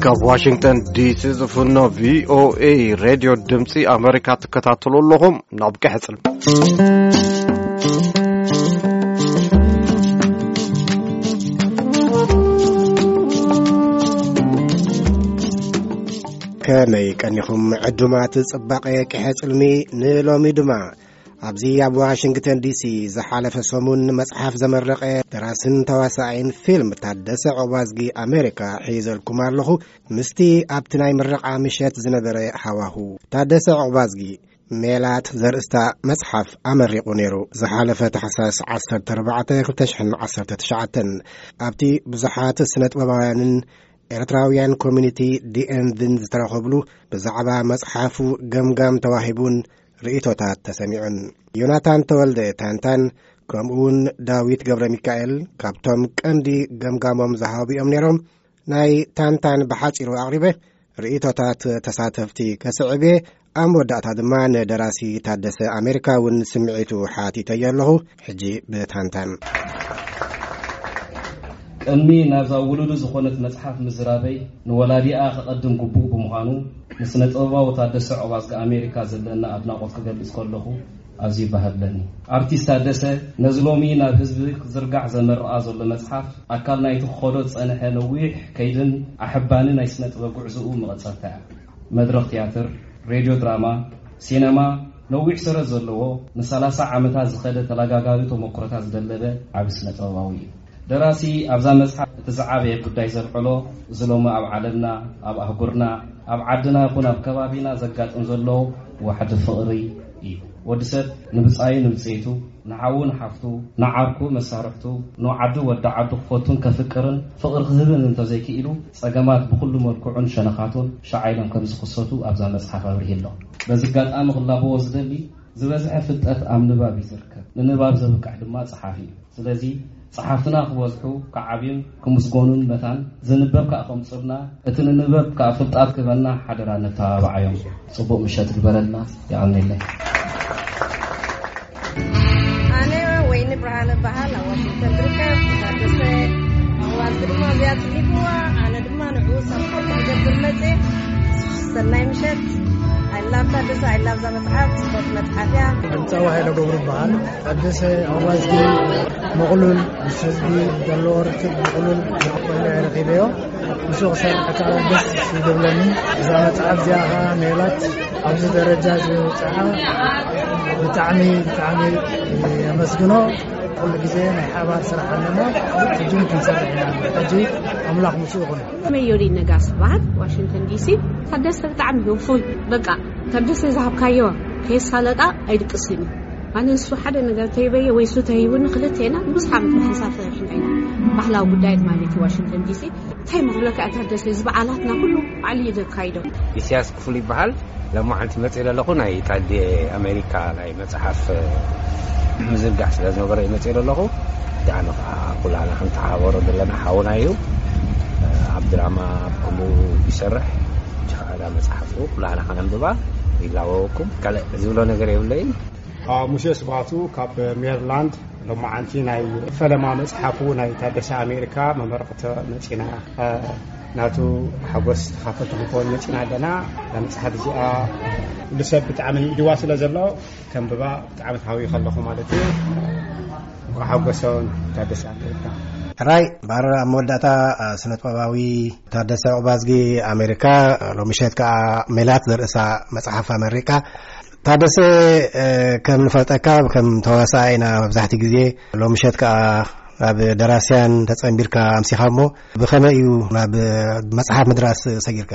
ካብ ዋሽንግተን ዲሲ ዝፍኖ ቪኦኤ ሬድዮ ድምፂ ኣሜሪካ ትከታተሉ ኣለኹም። ናብ ቀሕፅል። ከመይ ቀኒኹም ዕዱማት ጽባቐ ቀሕፅልሚ? ንሎሚ ድማ ኣብዚ ኣብ ዋሽንግተን ዲሲ ዝሓለፈ ሰሙን መጽሓፍ ዘመረቐ ደራስን ተዋሳኣይን ፊልም ታደሰ ዑባዝጊ ኣሜሪካ ሒዘልኩም ኣለኹ። ምስቲ ኣብቲ ናይ ምረቓ ምሸት ዝነበረ ሃዋሁ፣ ታደሰ ዑባዝጊ ሜላት ዘርእስታ መጽሓፍ ኣመሪቑ ነይሩ። ዝሓለፈ ታሕሳስ ዓሰርተ ኣርባዕተ ክልተ ሽሕን ዓሰርተ ትሽዓተን ኣብቲ ብዙሓት ስነ ጥበባውያንን ኤርትራውያን ኮሚኒቲ ዲኤንድን ዝተረኸብሉ ብዛዕባ መጽሓፉ ገምጋም ተዋሂቡን ርእይቶታት ተሰሚዑን። ዮናታን ተወልደ ታንታን ከምኡውን ዳዊት ገብረ ሚካኤል ካብቶም ቀንዲ ገምጋሞም ዝሃቡ እዮም ነይሮም። ናይ ታንታን ብሓጺሩ ኣቕሪበ ርእይቶታት ተሳተፍቲ ከስዕብ እየ። ኣብ መወዳእታ ድማ ንደራሲ ታደሰ ኣሜሪካ እውን ስምዒቱ ሓቲተዮ ኣለኹ። ሕጂ ብታንታን። ቅድሚ ናብዛ ውሉዱ ዝኾነት መጽሓፍ ምዝራበይ ንወላዲኣ ከቐድም ግቡእ ብምዃኑ ንስነ ጥበባዊ ታደሰ ዑባዝጊ ኣሜሪካ ዘለና ኣድናቖት ክገልጽ ከለኹ ኣዝዩ ባህብለኒ። ኣርቲስት ታደሰ ነዚ ሎሚ ናብ ህዝቢ ክዝርጋሕ ዘመርኣ ዘሎ መጽሓፍ ኣካል ናይቲ ክኸዶ ዝጸንሐ ነዊሕ ከይድን ኣሕባኒ ናይ ስነ ጥበብ ጉዕዞኡ መቐጸልታ እያ። መድረኽ ትያትር፣ ሬድዮ ድራማ፣ ሲነማ ነዊሕ ሰረት ዘለዎ ንሰላሳ ዓመታት ዝኸደ ተለጋጋቢ ተመክሮታት ዝደለበ ዓቢ ስነ ጥበባዊ እዩ። ደራሲ ኣብዛ መጽሓፍ እቲ ዝዓበየ ጉዳይ ዘልዕሎ እዚ ሎሚ ኣብ ዓለምና፣ ኣብ ኣህጉርና፣ ኣብ ዓድና ይኹን ኣብ ከባቢና ዘጋጥም ዘሎ ዋሕዲ ፍቕሪ እዩ። ወዲ ሰብ ንብጻዩ ንብጽይቱ፣ ንሓዉ ንሓፍቱ፣ ንዓርኩ መሳርሕቱ፣ ንዓዱ ወዲ ዓዱ ክፈቱን ከፍቅርን ፍቕሪ ክህብን እንተዘይክኢሉ ጸገማት ብኹሉ መልክዑን ሸነኻቱን ሸዓ ኢሎም ከም ዝኽሰቱ ኣብዛ መጽሓፍ ኣብሪሂ ኣሎ። በዚ ኣጋጣሚ ክላበዎ ዝደሊ ዝበዝሐ ፍልጠት ኣብ ንባብ እዩ ዝርከብ። ንንባብ ዘብቅዕ ድማ ጸሓፊ እዩ። ስለዚ ጸሓፍትና ክበዝሑ፣ ክዓብዩን ክምስጎኑን መታን ዝንበብ ከኣ ከምጽኡልና፣ እቲ ንንበብ ከኣ ፍልጣት ክህበና ሓደራ ነተባብዓዮም። ጽቡቕ ምሸት ግበረልና። የቐንየለይ። ኣነ ወይኒ ብርሃነ በሃል ኣብ ዋሽንግተን ትርከብ። ታደሰ ኣዋልድ ድማ እዚኣ ጽሒፍዋ፣ ኣነ ድማ ንዕኡ ሳፖርት ክገብር መጽየ። ሰናይ ምሸት። I love ታደሰ፣ I love እዛ መጽሓፍ፣ ጽቡቕ መጽሓፍ እያ። ጸዋ ሃይለ ገብሩ በሃል። ታደሰ ኣዋልድ ምቕሉል፣ ምስ ህዝቢ ዘለዎ ርክብ ምቕሉል፣ ዝኽፈሎ ረኺበዮ። ምስኡ ክሰርሕ ከኣ ደስ ይብለኒ። እዛ መጽሓፍ እዚኣ ከኣ ሜላት ኣብዚ ደረጃ ዝበጽሓ ብጣዕሚ፣ ብጣዕሚ የመስግኖ። ኩሉ ግዜ ናይ ሓባር ስራሕ ኣለና። ሕጂ እውን ክንሰርሕ ኢና። ሕጂ ኣምላኽ ምስኡ ይኹን። መዮሪ ነጋስ በሃል ዋሽንግተን ዲሲ። ታደሰ ብጣዕሚ ህፉይ፣ በቃ ታደሰ ዝሃብካዮ ከየሳለጣ ኣይድቅስን እዩ። ኣነ ንሱ ሓደ ነገር ተይበየ ወይ እሱ ተይብኒ ክልቴና ብዙሕ ዓመት ብሓንሳብ ሰሪሕና ኢና። ባህላዊ ጉዳያት ማለት እዩ ዋሽንግተን ዲሲ። እንታይ ምኽብለካ እያ ታደሰ፣ እዚ በዓላትና ኩሉ ባዕሉ እዩ ዘካይዶ። ኢሳያስ ክፍሉ ይበሃል። ሎማዓንቲ መፅእ ዘለኹ ናይ ታዴ ኣሜሪካ ናይ መፅሓፍ ምዝርጋሕ ስለ ዝነበረ እዩ መፅእ ዘለኹ። ዳዕሚ ከዓ ኩላና ክንተሓባበሮ ዘለና ሓውና እዩ። ኣብ ድራማ ኣብ ከምኡ ይሰርሕ። ሕጂ ከዓ እዛ መፅሓፍ ኩላና ከነንብባ ይላበወኩም። ካልእ ዝብሎ ነገር የብለይን። ሙሴ ስባቱ ካብ ሜሪላንድ። ሎማዓንቲ ናይ ፈለማ መፅሓፉ ናይ ታደሰ ኣሜሪካ መመረቕቶ መፂና፣ ናቱ ሓጎስ ተኻፈልቲ ክንከውን መፂና ኣለና። እዛ መፅሓፍ እዚኣ ኩሉ ሰብ ብጣዕሚ ይድዋ ስለ ዘሎ ከንብባ ብጣዕሚ ተሃዊኸ ኣለኹ ማለት እዩ። እንኳዕ ሓጎሶም ታደሰ ኣሜሪካ። ሕራይ ባረራ ኣብ መወዳእታ፣ ስነ ጥበባዊ ታደሰ ዑባዝጊ ኣሜሪካ፣ ሎሚ ምሸት ከዓ ሜላት ዘርእሳ መፅሓፍ ኣመሪቃ። ታደሰ፣ እ፣ ከም ንፈልጠካ ከም ተዋሳኣይ ኢና መብዛሕትኡ ግዜ። ሎሚ ምሸት ከኣ ናብ ደራስያን ተጸንቢርካ ኣምሲኻ እሞ ብኸመይ እዩ ናብ መጽሓፍ ምድራስ ሰጊርካ?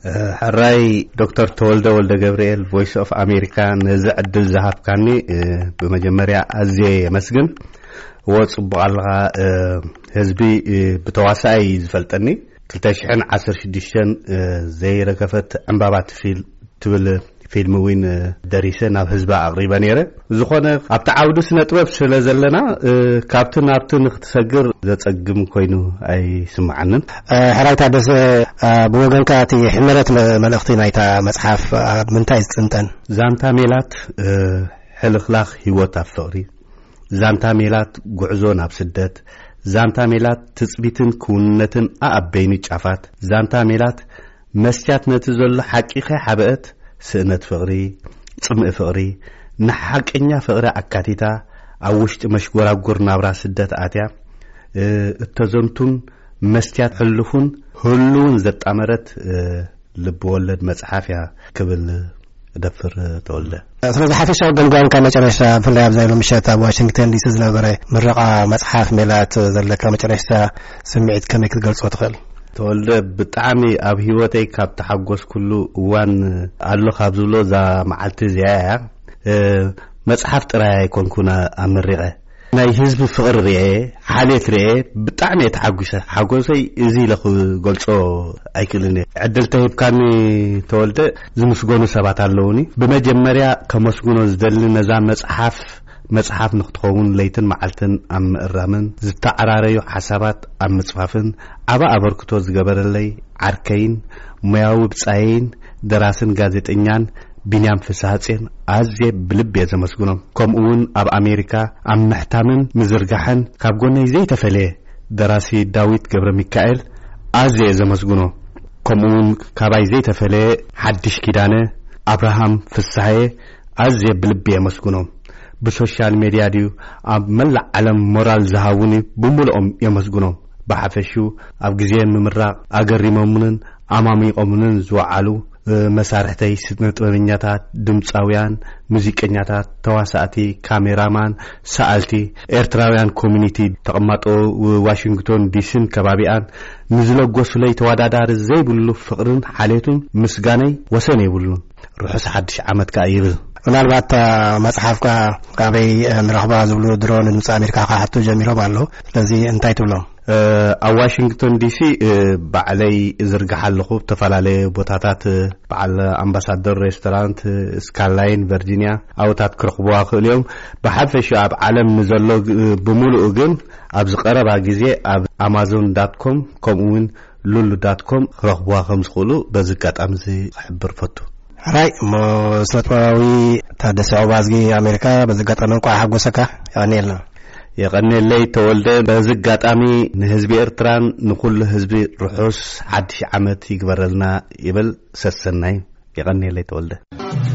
እ፣ ሕራይ ዶክተር ተወልደ ወልደ ገብርኤል ቮይስ ኦፍ ኣሜሪካ ነዚ ዕድል ዝሃብካኒ፣ እ፣ ብመጀመርያ ኣዝየ የመስግን። እወ፣ ጽቡቕ ኣለኻ። እ፣ ህዝቢ፣ እ፣ ብተዋሳኣይ እዩ ዝፈልጠኒ። ክልተ ሽሕን ዓሰርተ ሽዱሽተን፣ እ፣ ዘይረገፈት ዕምባባ ትፊል ትብል ፊልም እውን፣ እ፣ ደሪሰ ናብ ህዝቢ ኣቕሪበ ነይረ። ዝኾነ ኣብቲ ዓውዲ ስነ ጥበብ ስለ ዘለና፣ እ፣ ካብቲ ናብቲ ንክትሰግር ዘጸግም ኮይኑ ኣይስምዓንን። እ፣ ሕራይ ታደሰ፣ እ፣ ብወገንካ እቲ ሕመረት መ-፣ መልእኽቲ ናይታ መጽሓፍ ኣብ ምንታይ ዝጥንጠን? ዛንታ ሜላት፣ እ፣ ሕልኽላኽ ህይወት ኣብ ፍቕሪ፣ ዛንታ ሜላት ጉዕዞ ናብ ስደት፣ ዛንታ ሜላት ትጽቢትን ክውንነትን ኣኣበይኑ ጫፋት። ዛንታ ሜላት መስትያት ነቲ ዘሎ ሓቂ ከይሓበአት፣ ስእነት ፍቕሪ፣ ጽምኢ ፍቕሪ፣ ንሓቀኛ ፍቕሪ ኣካቲታ፣ ኣብ ውሽጢ መሽጎራጎር ናብራ ስደት ኣትያ፣ እ፣ እተዘንቱን መስትያት ሕሉፉን ህሉውን ዘጣመረት፣ እ፣ ልብ ወለድ መጽሓፍ እያ ክብል እደፍር፣ ተወልደ። ስለዚ ሓፈሻዊ ገምጋምካ መጨረሻ፣ ብፍላይ ኣብዛ ሎሚ ምሸት ኣብ ዋሽንግተን ዲሲ ዝነበረ ምረቓ መጽሓፍ ሜላት ዘለካ መጨረሻ ስምዒት ከመይ ክትገልጾ ትኽእል? ተወልደ፣ ብጣዕሚ ኣብ ህይወተይ ካብ ተሓጎስኩሉ እዋን ኣሎ ካብ ዝብሎ እዛ መዓልቲ እዚኣ እያ። እ፣ መጽሓፍ ጥራይ ኣይኮንኩን ኣመሪቐ። ናይ ህዝቢ ፍቕሪ ርኤ፣ ሓልየት ርኤ፣ ብጣዕሚ እየ ተሓጒሰ። ሓጎሰይ እዚ ኢለ ክገልጾ ኣይክእልን እየ። ዕድል ተሂብካኒ ተወልደ፣ ዝምስገኑ ሰባት ኣለዉኒ። ብመጀመርያ ከመስግኖ ዝደሊ ነዛ መጽሓፍ፣ መጽሓፍ ንክትኸውን ለይትን መዓልትን ኣብ ምእራምን ዝተዓራረዩ ሓሳባት ኣብ ምጽፋፍን ዓቢ ኣበርክቶ ዝገበረለይ ዓርከይን ሞያዊ ብጻየይን ደራስን ጋዜጠኛን ቢንያም ፍስሃጽዮን ኣዝየ ብልቢ እየ ዘመስግኖም። ከምኡ እውን ኣብ ኣሜሪካ ኣብ ምሕታምን ምዝርጋሕን ካብ ጎነይ ዘይተፈለየ ደራሲ ዳዊት ገብረ ሚካኤል ኣዝየ እየ ዘመስግኖ። ከምኡ እውን ካባይ ዘይተፈለየ ሓድሽ ኪዳነ፣ ኣብርሃም ፍስሃየ ኣዝየ ብልቢ እየ የመስግኖም። ብሶሻል ሜድያ ድዩ ኣብ መላእ ዓለም ሞራል ዝሃቡኒ ብምልኦም የመስግኖም። ብሓፈሽኡ ኣብ ግዜ ምምራቕ ኣገሪሞምንን ኣማሚቖምንን ዝወዓሉ፣ እ፣ መሳርሕተይ፣ ስነ ጥበበኛታት፣ ድምጻውያን፣ ሙዚቀኛታት፣ ተዋሳእቲ፣ ካሜራማን፣ ሰኣልቲ፣ ኤርትራውያን ኮሚኒቲ፣ ተቐማጦ ዋሽንግቶን ዲሲን ከባቢኣን ንዝለገሱለይ ተወዳዳሪ ዘይብሉ ፍቕርን ሓልየቱን ምስጋነይ ወሰን የብሉን። ርሑስ ሓድሽ ዓመት ከኣ ይብል። ምናልባት እታ መጽሓፍካ ኣበይ ንረኽባ ዝብሉ ድሮ ንድምፂ ኣሜሪካ ክሓቱ ጀሚሮም ኣለዉ። ስለዚ እንታይ ትብሎም? እ፣ ኣብ ዋሽንግቶን ዲሲ፣ እ፣ ባዕለይ እዝርግሕ ኣለኹ። ብተፈላለየ ቦታታት፣ እ፣ በዓል ኣምባሳደር ሬስቶራንት፣ እ፣ ስካላይን ቨርጂኒያ፣ ኣብታት ክረኽብዋ ክእሉ እዮም። ብሓፈሽኡ ኣብ ዓለም ንዘሎ ግ-፣ ብምሉኡ ግን ኣብዚ ቀረባ ግዜ ኣብ ኣማዞን ዳት ኮም ከምኡ እውን ሉሉ ዳት ኮም ክረኽብዋ ከም ዝኽእሉ በዚ ኣጋጣሚ እዚ ክሕብር ፈቱ። ሕራይ እሞ፣ ስነ ጥበባዊ ታደሰ ዑባዝጊ ኣሜሪካ፣ በዚ ኣጋጣሚ እንቋዕ ሓጎሰካ። የቐንየልና። የቐንየለይ ተወልደ። በዚ ኣጋጣሚ ንህዝቢ ኤርትራን ንኹሉ ህዝቢ ርሑስ ሓድሽ ዓመት ይግበረልና ይብል። ሰሰናይ። የቐንየለይ ተወልደ።